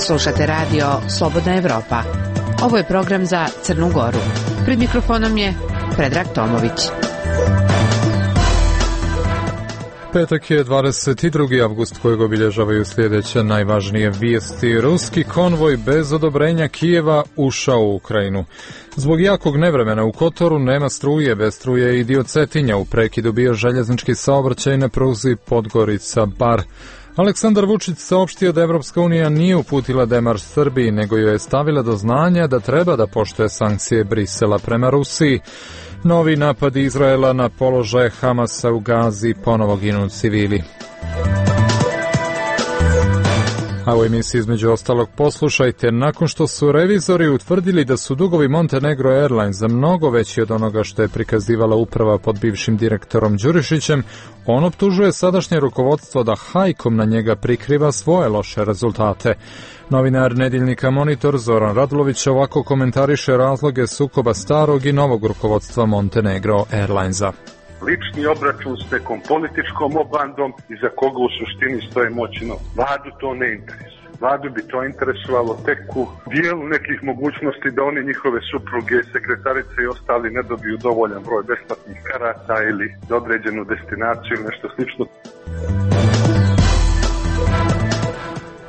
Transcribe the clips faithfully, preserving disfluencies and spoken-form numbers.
Slušate radio Slobodna Evropa. Ovo je program za Crnu Goru. Pred mikrofonom je Predrag Tomović. Petak je dvadeset drugi avgust kojeg obilježavaju sljedeće najvažnije vijesti. Ruski konvoj bez odobrenja Kijeva ušao u Ukrajinu. Zbog jakog nevremena u Kotoru nema struje, bez struje i dio Cetinja. U prekidu bio željeznički saobraćaj na pruzi Podgorica-Bar. Aleksandar Vučić saopštio da Evropska unija nije uputila demarš Srbiji, nego joj je stavila do znanja da treba da poštuje sankcije Brisela prema Rusiji. Novi napadi Izraela na položaje Hamasa u Gazi, ponovo ginu civili. A u emisiji između ostalog poslušajte, nakon što su revizori utvrdili da su dugovi Montenegro Airlines za mnogo veći od onoga što je prikazivala uprava pod bivšim direktorom Đurišićem, on optužuje sadašnje rukovodstvo da hajkom na njega prikriva svoje loše rezultate. Novinar Nedeljnika Monitor Zoran Radulović ovako komentariše razloge sukoba starog i novog rukovodstva Montenegro Airlinesa. Lični obračun s nekom političkom obandom iza koga u suštini stoje moćno. Vladu to ne interesuje. Vladu bi to interesovalo tek u dijelu nekih mogućnosti da oni, njihove supruge, sekretarice i ostali ne dobiju dovoljan broj besplatnih karata ili za određenu destinaciju ili nešto slično.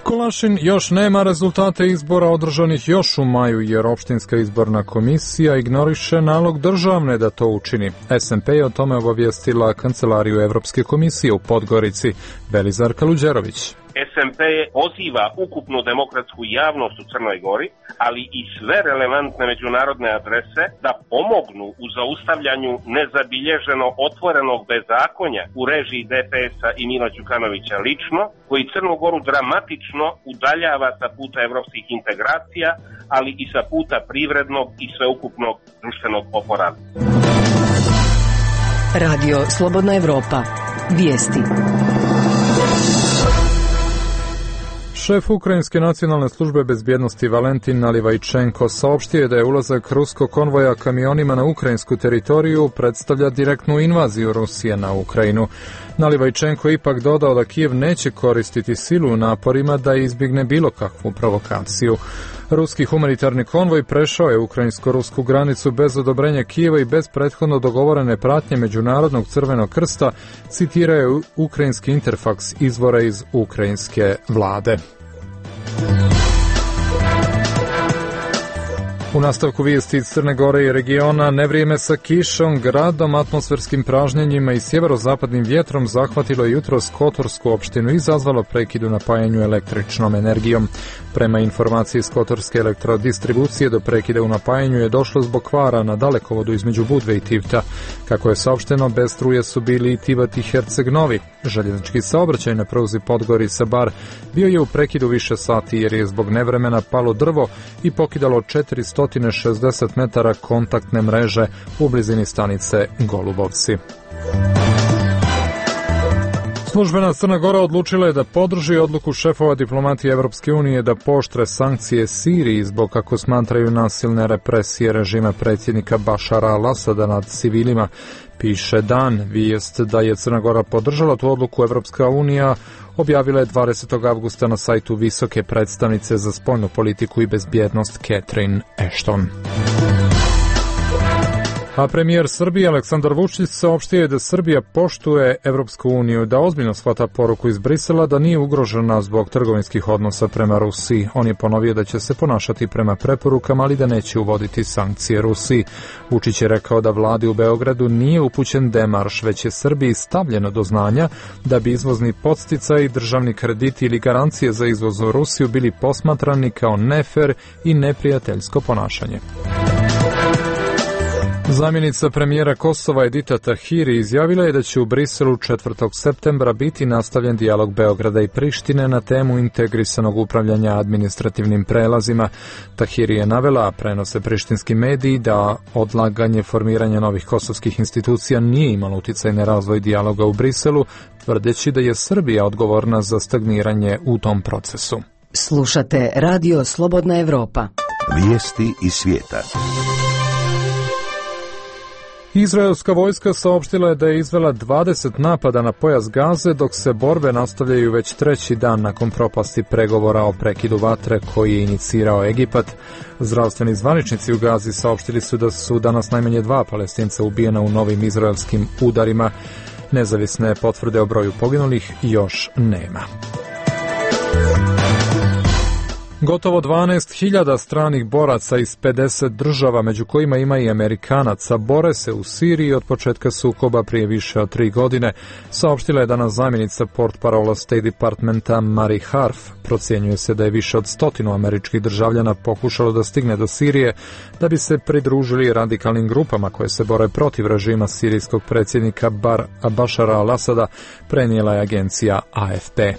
Kolašin još nema rezultate izbora održanih još u maju, jer opštinska izborna komisija ignoriše nalog državne da to učini. es en pe je o tome obavijestila Kancelariju Evropske komisije u Podgorici. Belizar Kaluđerović. es en pe poziva ukupnu demokratsku javnost u Crnoj Gori, ali i sve relevantne međunarodne adrese da pomognu u zaustavljanju nezabilježeno otvorenog bezakonja u režiji de pe es-a i Mila Đukanovića lično, koji Crnu Goru dramatično udaljava sa puta evropskih integracija, ali i sa puta privrednog i sveukupnog društvenog oporavka. Radio Slobodna Evropa. Vijesti. Šef Ukrajinske nacionalne službe bezbjednosti Valentin Nalivajčenko saopštio je da je ulazak ruskog konvoja kamionima na ukrajinsku teritoriju predstavlja direktnu invaziju Rusije na Ukrajinu. Nalivajčenko je ipak dodao da Kijev neće koristiti silu u naporima da izbjegne bilo kakvu provokaciju. Ruski humanitarni konvoj prešao je ukrajinsko-rusku granicu bez odobrenja Kijeva i bez prethodno dogovorene pratnje Međunarodnog crvenog krsta, citiraju ukrajinski Interfaks izvora iz ukrajinske vlade. U nastavku vijesti iz Crne Gore i regiona, nevrijeme sa kišom, gradom, atmosferskim pražnjenjima i sjeverozapadnim vjetrom zahvatilo je jutros Kotorsku opštinu i izazvalo prekid u napajanju električnom energijom. Prema informaciji iz Kotorske elektrodistribucije, do prekida u napajanju je došlo zbog kvara na dalekovodu između Budve i Tivta. Kako je saopšteno, bez struje su bili i Tivat i Herceg-Novi. Željeznički saobraćaj na pruzi Podgorica-Bar bio je u prekidu više sati jer je zbog nevremena palo drvo i pokidalo četiristo šezdeset metara kontaktne mreže u blizini stanice Golubovci. Službena Crna Gora odlučila je da podrži odluku šefova diplomatije Evropske unije da pooštre sankcije Siriji zbog, kako smatraju, nasilne represije režima predsjednika Bašara al-Asada nad civilima. Piše Dan. Vijest da je Crna Gora podržala tu odluku Evropska unija objavila je dvadesetog avgusta na sajtu visoke predstavnice za spoljnu politiku i bezbjednost Catherine Ashton. A premijer Srbije Aleksandar Vučić saopštio je da Srbija poštuje Evropsku uniju, da ozbiljno shvata poruku iz Brisela da nije ugrožena zbog trgovinskih odnosa prema Rusiji. On je ponovio da će se ponašati prema preporukama, ali da neće uvoditi sankcije Rusiji. Vučić je rekao da vladi u Beogradu nije upućen demarš, već je Srbiji stavljeno do znanja da bi izvozni podsticaj, državni krediti ili garancije za izvoz u Rusiju bili posmatrani kao nefer i neprijateljsko ponašanje. Zamjenica premijera Kosova Edita Tahiri izjavila je da će u Briselu četvrtog septembra biti nastavljen dijalog Beograda i Prištine na temu integrisanog upravljanja administrativnim prelazima. Tahiri je navela, a prenose prištinski mediji, da odlaganje formiranja novih kosovskih institucija nije imalo uticaj na razvoj dijaloga u Briselu, tvrdeći da je Srbija odgovorna za stagniranje u tom procesu. Slušate Radio Slobodna Evropa. Vijesti iz svijeta. Izraelska vojska saopštila je da je izvela dvadeset napada na pojas Gaze, dok se borbe nastavljaju već treći dan nakon propasti pregovora o prekidu vatre koji je inicirao Egipat. Zdravstveni zvaničnici u Gazi saopštili su da su danas najmanje dva Palestinca ubijena u novim izraelskim udarima. Nezavisne potvrde o broju poginulih još nema. Gotovo dvanaest hiljada stranih boraca iz pedeset država, među kojima ima i Amerikanaca, bore se u Siriji od početka sukoba prije više od tri godine, saopštila je danas zamjenica portparola State Departmenta Mari Harf. Procjenjuje se da je više od stotinu američkih državljana pokušalo da stigne do Sirije da bi se pridružili radikalnim grupama koje se bore protiv režima sirijskog predsjednika Bar Bašara al-Asada, prenijela je agencija A F P.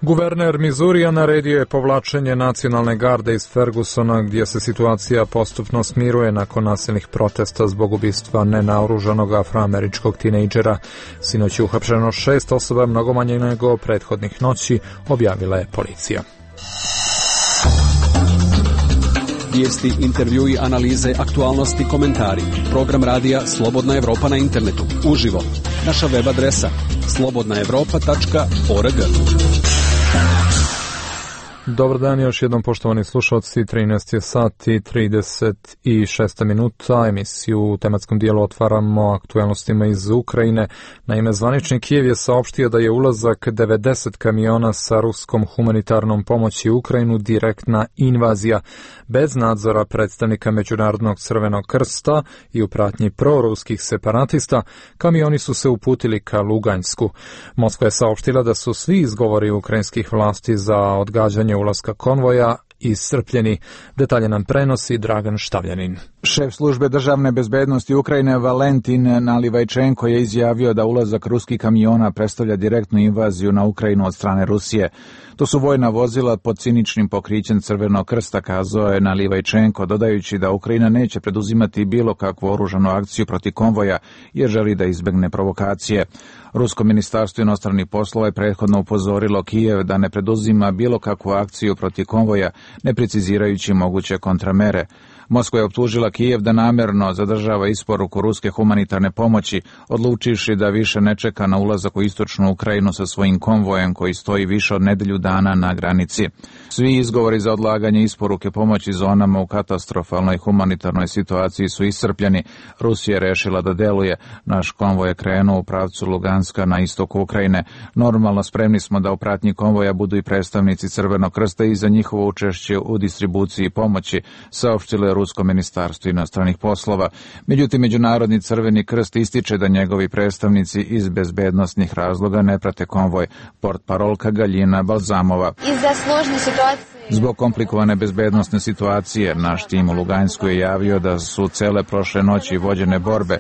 Guverner Mizurija naredio je povlačenje nacionalne garde iz Fergusona, gdje se situacija postupno smiruje nakon nasilnih protesta zbog ubistva nenaoružanog afroameričkog tinejdžera. Sinoć je uhapšeno šest osoba, mnogo manje nego prethodnih noći, objavila je policija. Vijesti, intervjui, analize, aktualnosti, komentari. Program radija Slobodna Evropa na internetu. Uživo. Naša web adresa slobodna evropa tačka org. Dobar dan, još jednom poštovani slušalci, trinaest je sati trideset šest minuta, emisiju u tematskom dijelu otvaramo aktualnostima iz Ukrajine. Naime, zvanični Kijev je saopštio da je ulazak devedeset kamiona sa ruskom humanitarnom pomoći u Ukrajinu direktna invazija. Bez nadzora predstavnika Međunarodnog crvenog krsta i u pratnji proruskih separatista, kamioni su se uputili ka Luganjsku. Moskva je saopštila da su svi izgovori ukrajinskih vlasti za odgađanje ulaska konvoja iscrpljeni. Detalje nam prenosi Dragan Štavljanin. Šef službe državne bezbednosti Ukrajine Valentin Nalivajčenko je izjavio da ulazak ruskih kamiona predstavlja direktnu invaziju na Ukrajinu od strane Rusije. To su vojna vozila pod ciničnim pokrićem Crvenog krsta, kazao je Nalivajčenko, dodajući da Ukrajina neće preduzimati bilo kakvu oružanu akciju protiv konvoja jer želi da izbegne provokacije. Rusko ministarstvo inostranih poslova je prethodno upozorilo Kijev da ne preduzima bilo kakvu akciju protiv konvoja, ne precizirajući moguće kontramere. Moskva je optužila Kijev da namjerno zadržava isporuku ruske humanitarne pomoći, odlučivši da više ne čeka na ulazak u istočnu Ukrajinu sa svojim konvojem koji stoji više od nedelju dana na granici. Svi izgovori za odlaganje isporuke pomoći zonama u katastrofalnoj humanitarnoj situaciji su iscrpljeni. Rusija je rešila da deluje. Naš konvoj je krenuo u pravcu Luganska na istoku Ukrajine. Normalno spremni smo da u pratnji konvoja budu i predstavnici Crvenog krsta i za njihovo učešće u distribuciji pomoći, saopštile Rusko ministarstvo inostranih poslova. Međutim, Međunarodni crveni krst ističe da njegovi predstavnici iz bezbednosnih razloga ne prate konvoj. Portparolka Galjina Balzamova. Zbog komplikovane bezbednosne situacije, naš tim u Luganjsku je javio da su cele prošle noći vođene borbe.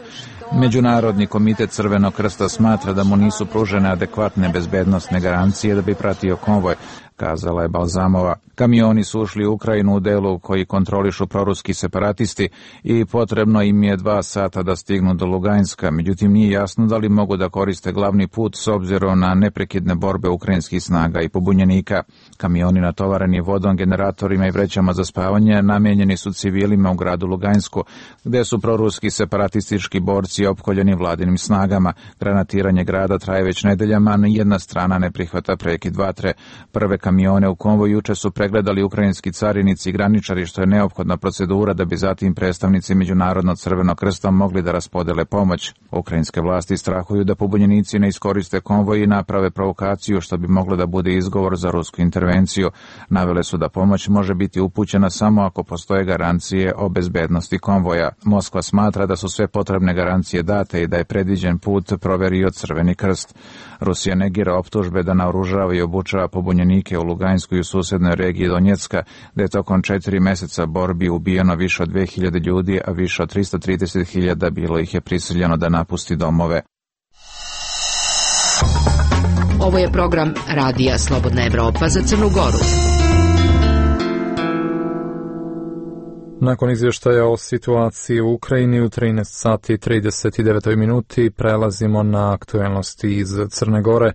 Međunarodni komitet Crvenog krsta smatra da mu nisu pružene adekvatne bezbednosne garancije da bi pratio konvoj, kazala je Balzamova. Kamioni su ušli u Ukrajinu u delu koji kontrolišu proruski separatisti i potrebno im je dva sata da stignu do Luganjska, međutim nije jasno da li mogu da koriste glavni put s obzirom na neprekidne borbe ukrajinskih snaga i pobunjenika. Kamioni natovareni vodom, generatorima i vrećama za spavanje namenjeni su civilima u gradu Luganjsku, gde su proruski separatistički borci opkoljeni vladinim snagama. Granatiranje grada traje već nedeljama, a jedna strana ne prihvata prekid vatre. Prve kamione u konvoju juče su pregledali ukrajinski carinici i graničari, što je neophodna procedura da bi zatim predstavnici Međunarodnog crvenog krsta mogli da raspodele pomoć. Ukrajinske vlasti strahuju da pobunjenici ne iskoriste konvoj i naprave provokaciju, što bi moglo da bude izgovor za rusku intervenciju. Navele su da pomoć može biti upućena samo ako postoje garancije o bezbednosti konvoja. Moskva smatra da su sve potrebne garancije date i da je predviđen put proverio Crveni krst. Rusija negira optužbe da naoružava i obučava pobunjenike u Luganjskoj i u susednoj regiji Donjecka, gde je tokom četiri meseca borbi ubijeno više od dve hiljade ljudi, a više od tristo trideset hiljada bilo ih je prisiljeno da napusti domove. Ovo je program Radija Slobodna Evropa za Crnu Goru. Nakon izvještaja o situaciji u Ukrajini u trinaest sati trideset devet minuti prelazimo na aktuelnosti iz Crne Gore.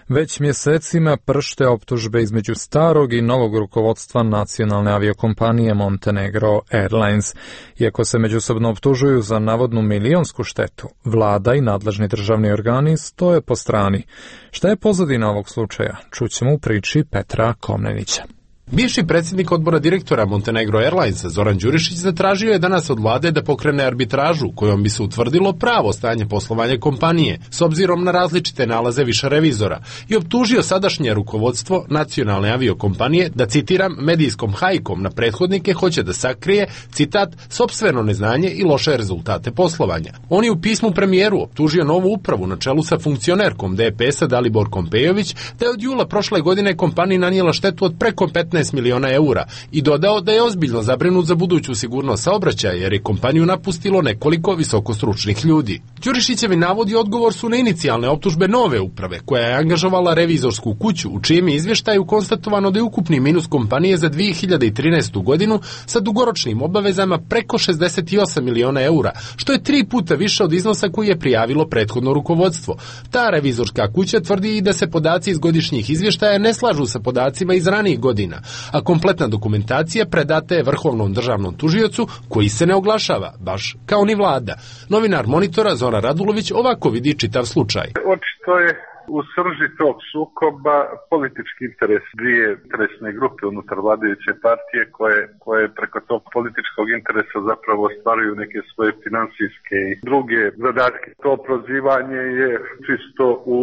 Već mjesecima pršte optužbe između starog i novog rukovodstva nacionalne aviokompanije Montenegro Airlines. Iako se međusobno optužuju za navodnu milionsku štetu, vlada i nadležni državni organi stoje po strani. Šta je pozadina ovog slučaja? Čućemo u priči Petra Komnenića. Bivši predsjednik odbora direktora Montenegro Airlinesa Zoran Đurišić zatražio je danas od vlade da pokrene arbitražu kojom bi se utvrdilo pravo stanje poslovanja kompanije s obzirom na različite nalaze više revizora i optužio sadašnje rukovodstvo nacionalne aviokompanije da, citiram, medijskom hajkom na prethodnike hoće da sakrije, citat, sopstveno neznanje i loše rezultate poslovanja. On je u pismu premijeru optužio novu upravu na čelu sa funkcionerkom D P S-a Daliborkom Pejović da je od jula prošle godine kompaniji nanijela štetu od preko petnaest miliona eura i dodao da je ozbiljno zabrinut za buduću sigurnost saobraćaja jer je kompaniju napustilo nekoliko visokostručnih ljudi. Đurišićevi navodi i odgovor su na inicijalne optužbe nove uprave koja je angažovala revizorsku kuću u čijem je izvještaju konstatovano da je ukupni minus kompanije za dvije hiljade trinaestu godinu sa dugoročnim obavezama preko šezdeset osam miliona eura, što je tri puta više od iznosa koji je prijavilo prethodno rukovodstvo. Ta revizorska kuća tvrdi i da se podaci iz godišnjih izvještaja ne slažu sa podacima iz ranijih godina, a kompletna dokumentacija predata je Vrhovnom državnom tužiocu koji se ne oglašava, baš kao ni vlada. Novinar Monitora Zoran Radulović ovako vidi čitav slučaj. Očito je u srži tog sukoba politički interes dvije interesne grupe unutar vladajuće partije koje, koje preko tog političkog interesa zapravo ostvaruju neke svoje financijske i druge zadatke. To prozivanje je čisto u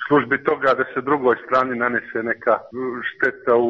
službi toga da se drugoj strani nanese neka šteta u,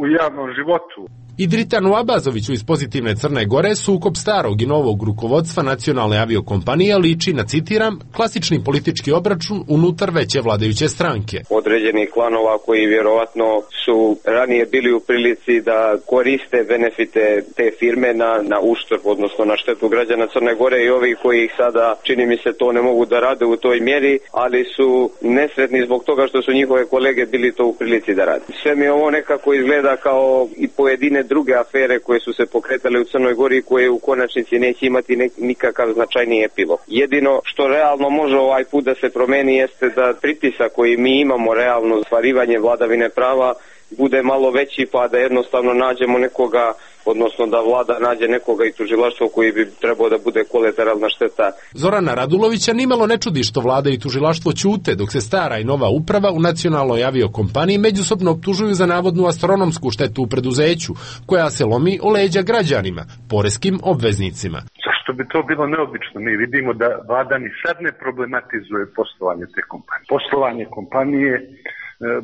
u javnom životu. Idritanu Abazoviću iz Pozitivne Crne Gore sukob starog i novog rukovodstva nacionalne aviokompanije liči na, citiram, klasični politički obračun unutar veće vladajuće stranke. Određenih klanova koji vjerovatno su ranije bili u prilici da koriste benefite te firme na, na uštrb, odnosno na štetu građana Crne Gore i ovih koji ih sada, čini mi se, to ne mogu da rade u toj mjeri, ali su nesretni zbog toga što su njihove kolege bili to u prilici da rade. Sve mi ovo nekako izgleda kao i pojedine druge afere koje su se pokretale u Crnoj Gori koje u konačnici neće imati nek, nikakav značajniji epilog. Jedino što realno može ovaj put da se promeni jeste da pritisak koji mi imamo realno ostvarivanje vladavine prava bude malo veći pa da jednostavno nađemo nekoga, odnosno da vlada nađe nekoga i tužilaštvo koji bi trebao da bude kolateralna šteta. Zorana Radulovića nimalo ne čudi što vlada i tužilaštvo ćute dok se stara i nova uprava u nacionalnoj aviokompaniji međusobno optužuju za navodnu astronomsku štetu u preduzeću koja se lomi o leđa građanima, poreskim obveznicima. Zašto bi to bilo neobično? Mi vidimo da vlada ni sad ne problematizuje poslovanje te kompanije. Poslovanje kompanije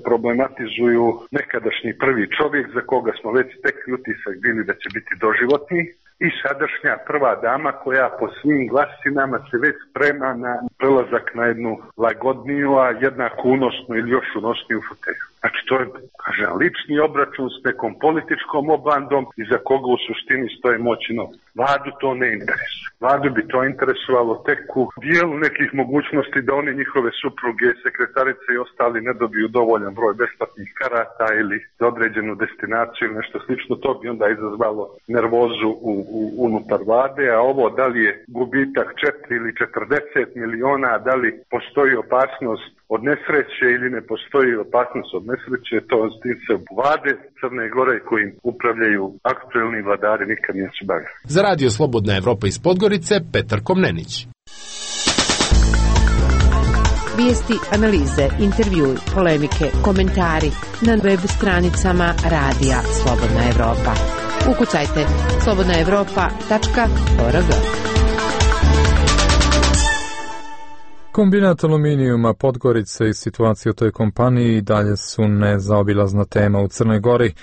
problematizuju nekadašnji prvi čovjek za koga smo već stekli utisak bili da će biti doživotni i sadašnja prva dama koja po svim glasinama se već sprema na prelazak na jednu lagodniju, a jednako unosnu ili još unosniju fotelju. Znači to je, kažem, lični obračun s nekom političkom obandom iza koga u suštini stoje moći novac. Vladu to ne interesuje. Vladu bi to interesovalo tek u dijelu nekih mogućnosti da oni njihove supruge, sekretarice i ostali ne dobiju dovoljan broj besplatnih karata ili za određenu destinaciju ili nešto slično. To bi onda izazvalo nervozu u, u, unutar vlade, a ovo da li je gubitak četiri ili četrdeset miliona, da li postoji opasnost od nesreće ili ne postoji opasnost od nesreće, to se vlade Crne Gore kojim upravljaju aktuelni vladari nikad nisu bavili. Za radio Slobodna Evropa iz Podgorice, Petar Komnenić. Vijesti, analize, intervjui, polemike, komentari na web stranicama Radija Slobodna Evropa. Ukucajte slobodna evropa tačka org. Kombinat aluminijuma Podgorice i situacija u toj kompaniji dalje su nezaobilazna tema u Crnoj Gori.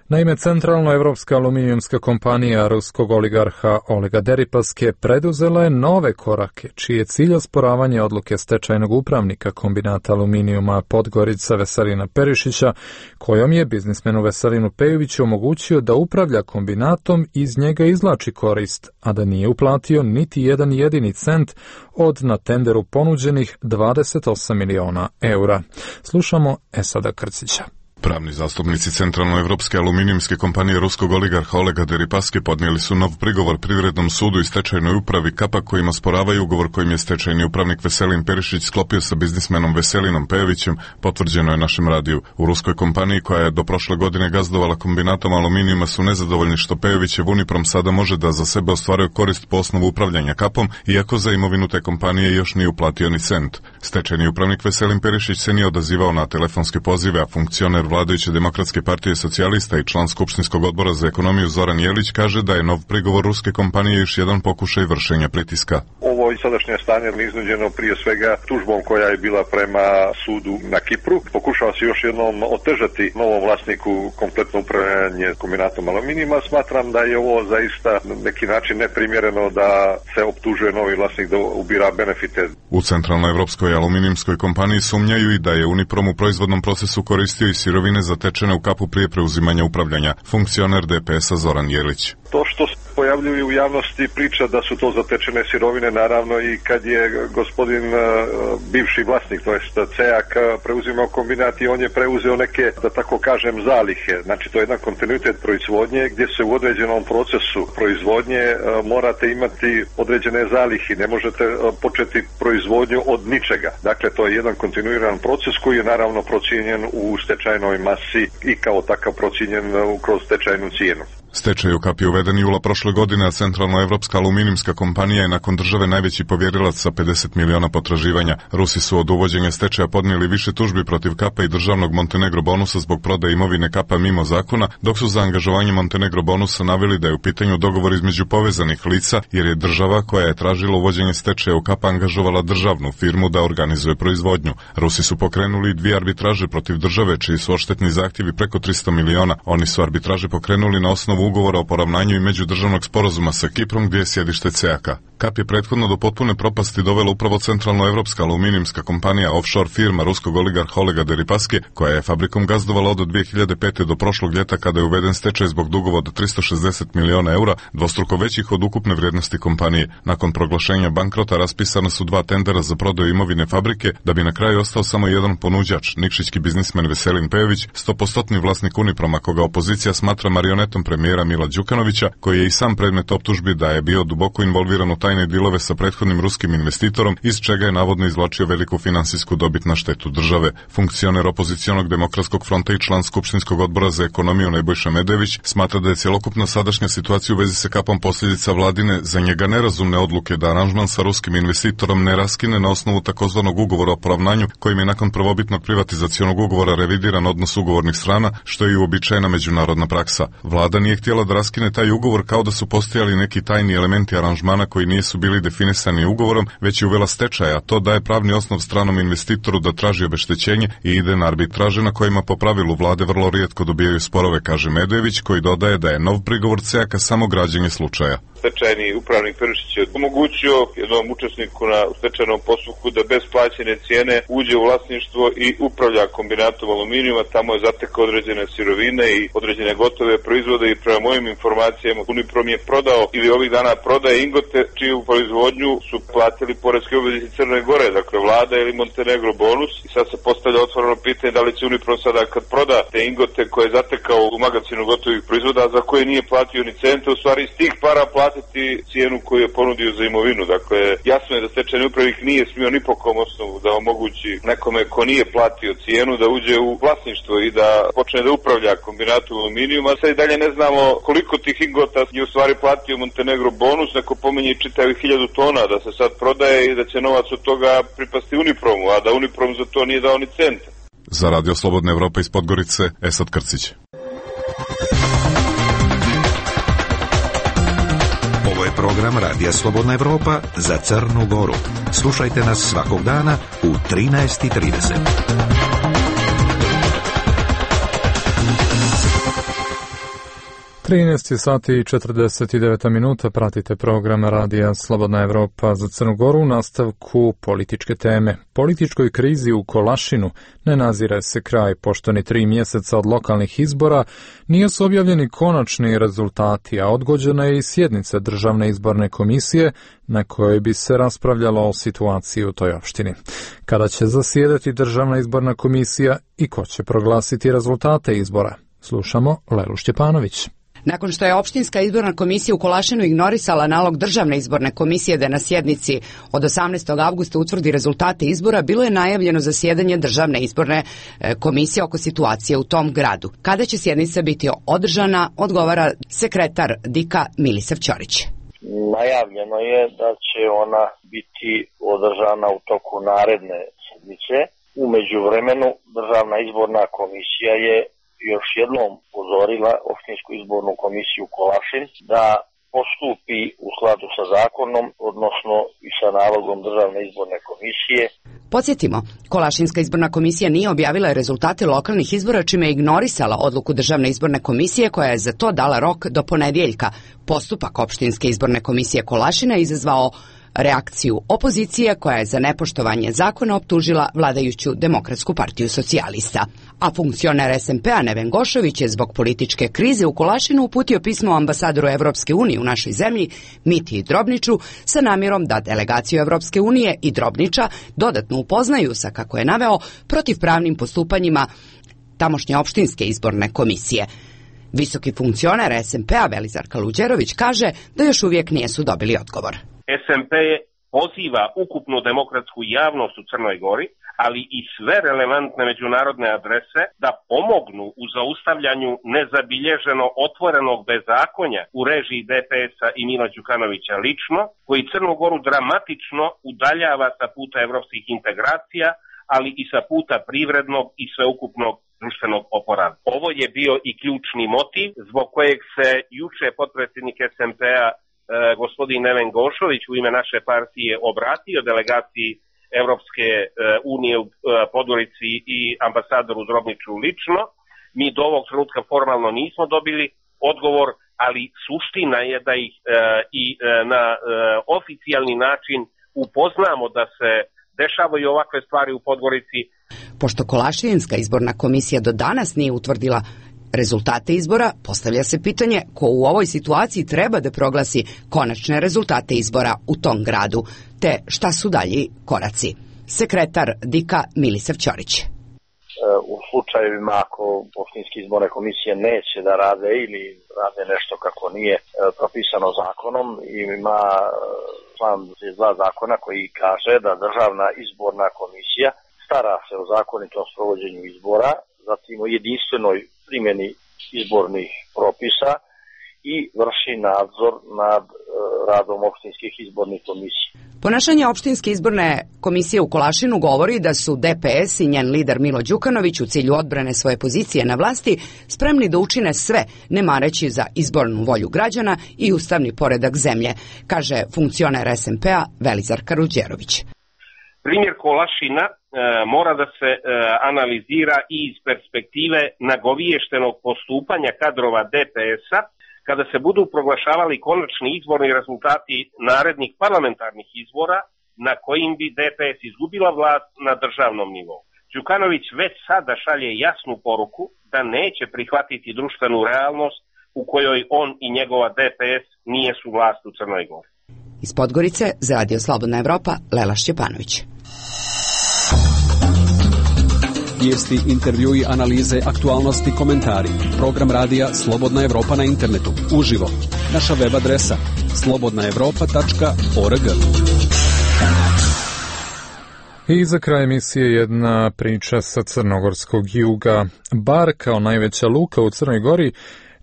Naime, centralnoevropska aluminijumska kompanija ruskog oligarha Olega Deripaske preduzela je nove korake, čiji je cilj osporavanje odluke stečajnog upravnika kombinata aluminijuma Podgorica Veselina Perišića, kojom je biznismenu Veselinu Pejoviću omogućio da upravlja kombinatom i iz njega izvlači korist, a da nije uplatio niti jedan jedini cent od na tenderu ponuđenih dvadeset osam miliona eura. Slušamo Esada Krcića. Pravni zastupnici Centralnoevropske aluminijumske kompanije ruskog oligarha Olega Deripaske podnijeli su nov prigovor Privrednom sudu i stečajnoj upravi Kapa kojim osporavaju ugovor kojim je stečajni upravnik Veselin Perišić sklopio sa biznismenom Veselinom Pejovićem, potvrđeno je našem radiju. U ruskoj kompaniji koja je do prošle godine gazdovala kombinatom aluminijuma su nezadovoljni što Pejovićev Uniprom sada može da za sebe ostvaruje korist po osnovu upravljanja Kapom, iako za imovinu te kompanije još nije uplatio ni cent. Stečajni upravnik Veselin Perišić se nije odazivao na telefonske pozive, a funkcioner vladajuće Demokratske partije socijalista i član Skupštinskog odbora za ekonomiju Zoran Jelić kaže da je nov prigovor ruske kompanije još jedan pokušaj vršenja pritiska. Ovo sadašnje stanje je iznuđeno prije svega tužbom koja je bila prema sudu na Kipru. Pokušava se još jednom otežati novom vlasniku kompletno upravljanje kombinatom aluminijuma. Smatram da je ovo zaista na neki način neprimjereno da se optužuje novi vlasnik da ubira benefite. U Centralnoevropskoj aluminijumskoj kompaniji sumnjaju i da je Uniprom u proizvodnom procesu koristio i sirovine zatečene u Kapu prije preuzimanja upravljanja. Funkcioner D P S-a Zoran Jelić. To što se pojavljuju u javnosti priča da su to zatečene sirovine, naravno i kad je gospodin uh, bivši vlasnik, to jest C E A K, preuzimao kombinat i on je preuzeo neke, da tako kažem, zalihe. Znači to je jedan kontinuitet proizvodnje gdje se u određenom procesu proizvodnje uh, morate imati određene zalihi, ne možete uh, početi proizvodnju od ničega. Dakle, to je jedan kontinuiran proces koji je naravno procijenjen u stečajnoj masi i kao takav procijenjen uh, kroz stečajnu cijenu. Stečaj u Kapi uveden jula prošle godine, a Centralnoevropska aluminijumska kompanija je nakon države najveći povjerilac sa pedeset miliona potraživanja. Rusi su od uvođenja stečaja podnijeli više tužbi protiv Kapa i državnog Montenegro bonusa zbog prodaje imovine Kapa mimo zakona, dok su za angažovanje Montenegro bonusa naveli da je u pitanju dogovor između povezanih lica, jer je država koja je tražila uvođenje stečaja u Kapa angažovala državnu firmu da organizuje proizvodnju. Rusi su pokrenuli dvije arbitraže protiv države, čiji su odštetni zahtjevi preko tristo miliona. Oni su arbitraže pokrenuli na osnovu ugovora o poravnanju i međudržavnog sporazuma sa Kiprom gdje je sjedište C E A K-a. Kap je prethodno do potpune propasti dovela upravo Centralnoevropska aluminijumska kompanija, offshore firma ruskog oligarha Olega Deripaske, koja je fabrikom gazdovala od dvije hiljade pete do prošlog ljeta kada je uveden stečaj zbog dugova od tristo šezdeset miliona eura, dvostruko većih od ukupne vrijednosti kompanije. Nakon proglašenja bankrota raspisana su dva tendera za prodaju imovine fabrike, da bi na kraju ostao samo jedan ponuđač, nikšićki biznismen Veselin Pejović, stopostotni vlasnik Uniproma, koga opozicija smatra marionetom premijera Mila Đukanovića, koji je i sam predmet optužbi da je bio duboko involviran u tajne dilove sa prethodnim ruskim investitorom, iz čega je navodno izvlačio veliku finansijsku dobit na štetu države. Funkcioner opozicionog Demokratskog fronta i član Skupštinskog odbora za ekonomiju Nebojša Medević smatra da je cjelokupna sadašnja situacija u vezi sa Kapom posljedica vladine, za njega nerazumne odluke da aranžman sa ruskim investitorom ne raskine na osnovu takozvanog ugovora o poravnanju, kojim je nakon prvobitnog privatizacionog ugovora revidiran odnos ugovornih strana, što je i uobičajena međunarodna praksa. Vlada nije htjela da raskine taj ugovor kao da su postojali neki tajni elementi aranžmana koji nisu bili definisani ugovorom, već je uvela stečaj, a to daje pravni osnov stranom investitoru da traži obeštećenje i ide na arbitraže na kojima po pravilu vlade vrlo rijetko dobijaju sporove, kaže Medević, koji dodaje da je nov prigovor C E A K-a samo građenje slučaja. Stečajni upravnik Perišić je omogućio jednom učesniku na stečajnom postupku da bez plaćene cijene uđe u vlasništvo i upravlja kombinatom aluminijuma. Tamo je zatekao određene sirovine i određene gotove proizvode i prema mojim informacijama Uniprom je prodao ili ovih dana prodaje ingote čiju proizvodnju su platili poreski obveznici Crne Gore, dakle vlada ili Montenegro bonus, i sad se postavlja otvoreno pitanje da li će Uniprom sada kad proda te ingote koje je zatekao u magazinu gotovih proizvoda, za koje nije platio ni centa, u stvari iz tih para platiti cijenu koju je ponudio za imovinu. Dakle, jasno je da stečajni upravnik nije smio ni po kom osnovu da omogući nekome ko nije platio cijenu da uđe u vlasništvo i da počne da upravlja kombinatom aluminijuma. Sad i dalje ne znamo koliko tih ingota je u stvari platio Montenegro bonus, neko pominje čitavih hiljadu tona da se sad prodaje i da će novac od toga pripasti Unipromu, a da Uniprom za to nije dao ni centa. Za Radio Slobodna Evropa iz Podgorice, Esad Krcić. Ovo je program Radija Slobodna Evropa za Crnu Goru. Slušajte nas svakog dana u trinaest i trideset. trinaest sati i četrdeset devet minuta, pratite program Radija Slobodna Evropa za Crnu Goru. U nastavku političke teme. Političkoj krizi u Kolašinu ne nazire se kraj, pošto ni tri mjeseca od lokalnih izbora nisu objavljeni konačni rezultati, a odgođena je i sjednica Državne izborne komisije na kojoj bi se raspravljalo o situaciji u toj opštini. Kada će zasjedati Državna izborna komisija i ko će proglasiti rezultate izbora? Slušamo Lelu Šćepanović. Nakon što je opštinska izborna komisija u Kolašinu ignorisala nalog Državne izborne komisije da na sjednici od osamnaestog avgusta utvrdi rezultate izbora, bilo je najavljeno zasjedanje Državne izborne komisije oko situacije u tom gradu. Kada će sjednica biti održana, odgovara sekretar D I K-a Milisav Ćorić. Najavljeno je da će ona biti održana u toku naredne sedmice. U međuvremenu Državna izborna komisija je još jednom upozorila opštinsku izbornu komisiju Kolašin da postupi u skladu sa zakonom, odnosno i sa nalogom Državne izborne komisije. Podsjetimo, Kolašinska izborna komisija nije objavila rezultate lokalnih izbora, čime je ignorisala odluku Državne izborne komisije koja je za to dala rok do ponedjeljka. Postupak opštinske izborne komisije Kolašina je izazvao reakciju opozicije koja je za nepoštovanje zakona optužila vladajuću Demokratsku partiju socijalista. A funkcioner S M P-a Neven Gošović je zbog političke krize u Kolašinu uputio pismo ambasadoru Evropske unije u našoj zemlji Mitiji Drobniću sa namjerom da delegaciju Evropske unije i Drobnića dodatno upoznaju sa, kako je naveo, protivpravnim postupanjima tamošnje opštinske izborne komisije. Visoki funkcioner S M P-a Velizar Kaluđerović kaže da još uvijek nisu dobili odgovor. S M P poziva ukupnu demokratsku javnost u Crnoj Gori, ali i sve relevantne međunarodne adrese da pomognu u zaustavljanju nezabilježeno otvorenog bezakonja u režiji D P S-a i Mila Đukanovića lično, koji Crnu Goru dramatično udaljava sa puta evropskih integracija, ali i sa puta privrednog i sveukupnog društvenog oporavka. Ovo je bio i ključni motiv zbog kojeg se juče potpredsjednik S M P-a gospodin Neven Gošović u ime naše partije obratio delegaciji Evropske unije u Podgorici i ambasadoru Drobniću lično. Mi do ovog trenutka formalno nismo dobili odgovor, ali suština je da ih i na oficijalni način upoznamo da se dešavaju ovakve stvari u Podgorici. Pošto Kolašinska izborna komisija do danas nije utvrdila rezultate izbora, postavlja se pitanje ko u ovoj situaciji treba da proglasi konačne rezultate izbora u tom gradu, te šta su dalji koraci. Sekretar D I K-a Milisav Ćorić. U slučajevima ako opštinske izborne komisije neće da rade ili rade nešto kako nije propisano zakonom, ima član dva zakona koji kaže da Državna izborna komisija stara se o zakonitom sprovođenju izbora, zatim o jedinstvenoj primjeni izbornih propisa i vrši nadzor nad e, radom opštinskih izbornih komisija. Ponašanje opštinske izborne komisije u Kolašinu govori da su D P S i njen lider Milo Đukanović u cilju odbrane svoje pozicije na vlasti spremni da učine sve, ne mareći za izbornu volju građana i ustavni poredak zemlje, kaže funkcioner S M P-a Velizar Kaluđerović. Primjer Kolašina e, mora da se e, analizira i iz perspektive nagoviještenog postupanja kadrova D P S-a kada se budu proglašavali konačni izborni rezultati narednih parlamentarnih izbora na kojim bi D P S izgubila vlast na državnom nivou. Đukanović već sada šalje jasnu poruku da neće prihvatiti društvenu realnost u kojoj on i njegova D P S nije su vlast u Crnoj Gori. Iz Podgorice za Radio Slobodna Evropa, Lela Šćepanović. Vijesti, intervjui, analize, aktualnosti, komentari. Program radija Slobodna Evropa na internetu. Uživo. Naša web adresa slobodna evropa tačka org. I za kraj emisije jedna priča sa crnogorskog juga. Bar kao najveća luka u Crnoj Gori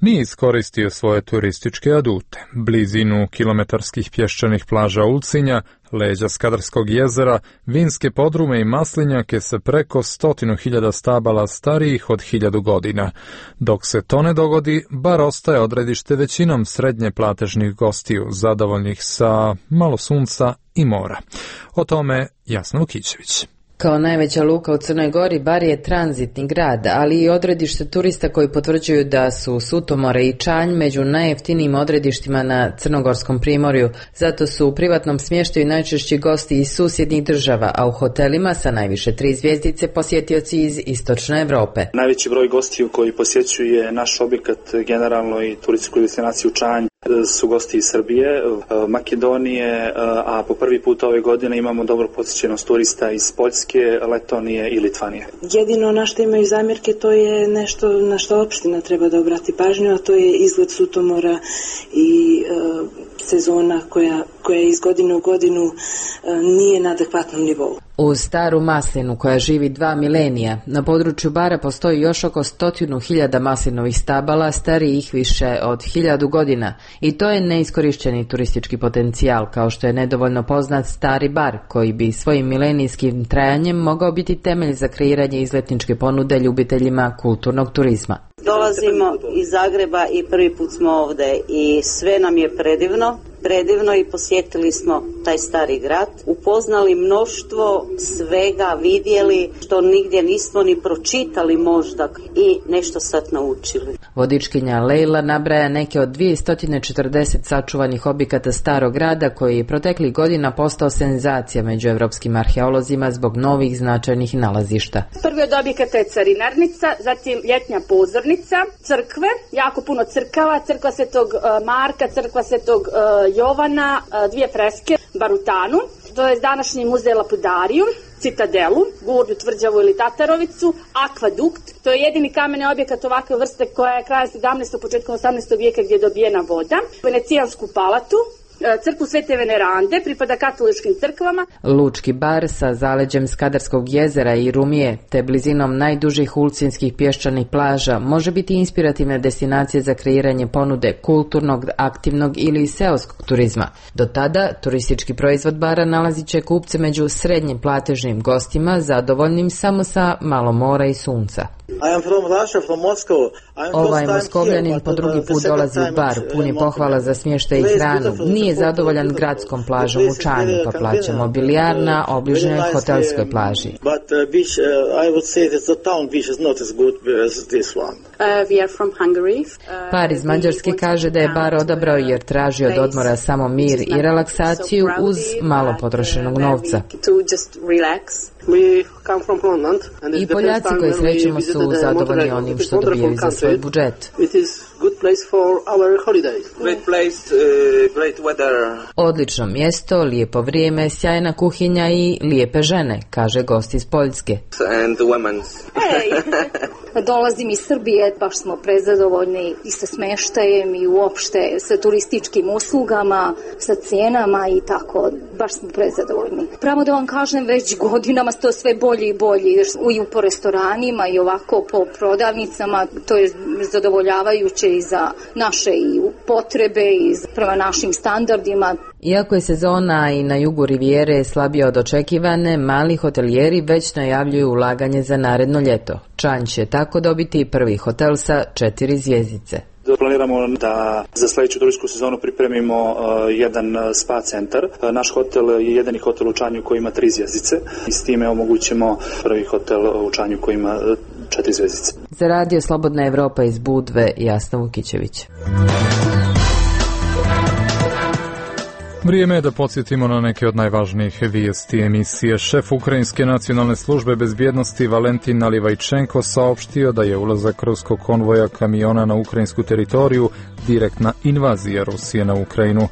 nije iskoristio svoje turističke adute. Blizinu kilometarskih pješčanih plaža Ulcinja, leđa Skadarskog jezera, vinske podrume i maslinjake sa preko stotinu hiljada stabala starijih od hiljadu godina. Dok se to ne dogodi, bar ostaje odredište većinom srednje platežnih gostiju, zadovoljnih sa malo sunca i mora. O tome Jasna Vukićević. Kao najveća luka u Crnoj Gori, Bar je tranzitni grad, ali i odredište turista koji potvrđuju da su Sutomore i Čanj među najjeftinijim odredištima na crnogorskom primorju. Zato su u privatnom smještaju najčešći gosti iz susjednih država, a u hotelima sa najviše tri zvjezdice posjetioci iz istočne Evrope. Najveći broj gostiju koji posjećuje naš objekat generalno i turističku destinaciju Čanj su gosti iz Srbije, Makedonije, a po prvi put ove godine imamo dobro posjećenost turista iz Poljske, Letonije i Litvanije. Jedino na što imaju zamjerke to je nešto na što opština treba da obrati pažnju, a to je izgled Sutomora i uh, sezona koja, koja iz godine u godinu uh, nije na adekvatnom nivou. Uz staru maslinu koja živi dva milenija, na području Bara postoji još oko stotinu hiljada maslinovih stabala starijih više od hiljadu godina i to je neiskorišteni turistički potencijal, kao što je nedovoljno poznat Stari Bar, koji bi svojim milenijskim trajanjem mogao biti temelj za kreiranje izletničke ponude ljubiteljima kulturnog turizma. Dolazimo iz Zagreba i prvi put smo ovdje i sve nam je predivno. Predivno i posjetili smo taj stari grad, upoznali mnoštvo svega, vidjeli što nigdje nismo ni pročitali možda i nešto sad naučili. Vodičkinja Lejla nabraja neke od dvjesto četrdeset sačuvanih objekata starog grada koji je proteklih godina postao senzacija među evropskim arheolozima zbog novih značajnih nalazišta. Prvi od objekata je carinarnica, zatim ljetnja pozornica, crkve, jako puno crkava, crkva Svetog Marka, crkva Svetog Jovana, dvije freske, Barutanu, to je današnji muzej Lapidariju, Citadelu, Gurdu, Tvrđavu ili Tatarovicu, Akvadukt, to je jedini kameni objekat ovakve vrste koja je kraja sedamnaestog. početkom osamnaestog vijeka gdje je dobijena voda, Venecijansku palatu, crkvu Svete Venerande, pripada katoličkim crkvama. Lučki Bar sa zaleđem Skadarskog jezera i Rumije, te blizinom najdužih ulcinskih pješčanih plaža, može biti inspirativna destinacija za kreiranje ponude kulturnog, aktivnog ili seoskog turizma. Do tada, turistički proizvod Bara nalazit će kupce među srednjim platežnim gostima, zadovoljnim samo sa malo mora i sunca. Ovaj Moskovljanin po drugi put dolazi u Bar, pun je pohvala za smještaj i hranu. Nije zadovoljan gradskom plažom u Čanju, pa plaća mobilijar na obližnjoj hotelskoj plaži. Par iz Mađarske kaže da je Bar odabrao jer traži od odmora samo mir i relaksaciju uz malo potrošenog novca. I Poljaci koji srećemo su zadovoljni onim što dobijaju za svoj budžet. Odlično mjesto, lijepo vrijeme, sjajna kuhinja i lijepe žene, kaže gost iz Poljske. Dolazim iz Srbije, baš smo prezadovoljni i sa smještajem i uopšte sa turističkim uslugama, sa cijenama i tako, baš smo prezadovoljni. Pravo da vam kažem, već godinama to sve bolje i bolje, i po restoranima i ovako po prodavnicama, to je zadovoljavajuće i za naše i potrebe i prema našim standardima. Iako je sezona i na jugu Rivijere slabija od očekivane, mali hotelijeri već najavljuju ulaganje za naredno ljeto. Čanj će tako dobiti prvi hotel sa četiri zvjezdice. Planiramo da za sljedeću turističku sezonu pripremimo uh, jedan spa centar. Uh, naš hotel je jedini hotel u Čanju koji ima tri zvjezdice i s time omogućimo prvi hotel u Čanju koji ima uh, četiri zvjezdice. Za radio Slobodna Evropa iz Budve, Jasna Vukićević. Vrijeme je da podsjetimo na neke od najvažnijih vijesti emisije. Šef Ukrajinske nacionalne službe bezbjednosti Valentin Nalivajčenko saopštio da je ulazak ruskog konvoja kamiona na ukrajinsku teritoriju direktna invazija Rusije na Ukrajinu.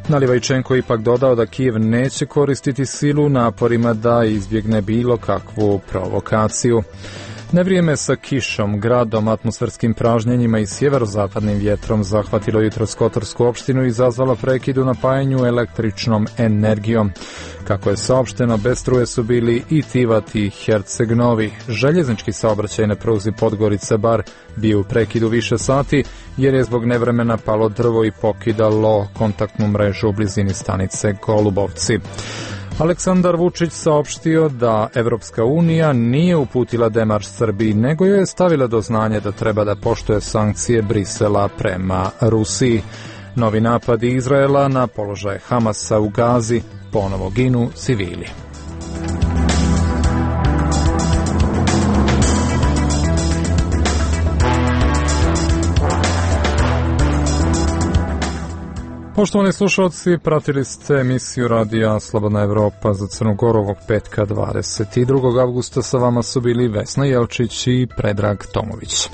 Nalivajčenko ipak dodao da Kijev neće koristiti silu naporima da izbjegne bilo kakvu provokaciju. Nevrijeme sa kišom, gradom, atmosferskim pražnjenjima i sjeverozapadnim vjetrom zahvatilo jutros Kotorsku opštinu i izazvalo prekid u napajanju električnom energijom. Kako je saopšteno, bez struje su bili i Tivat i Herceg-Novi. Željeznički saobraćaj na pruzi Podgorica Bar bio u prekidu više sati jer je zbog nevremena palo drvo i pokidalo kontaktnu mrežu u blizini stanice Golubovci. Aleksandar Vučić saopštio da Evropska unija nije uputila demarš Srbiji, nego joj je stavila do znanja da treba da poštuje sankcije Brisela prema Rusiji. Novi napadi Izraela na položaje Hamasa u Gazi, ponovo ginu civili. Poštovani slušalci, pratili ste emisiju Radija Slobodna Evropa za Crnu Goru ovog petka dvadeset drugog avgusta. Sa vama su bili Vesna Jelčić i Predrag Tomović.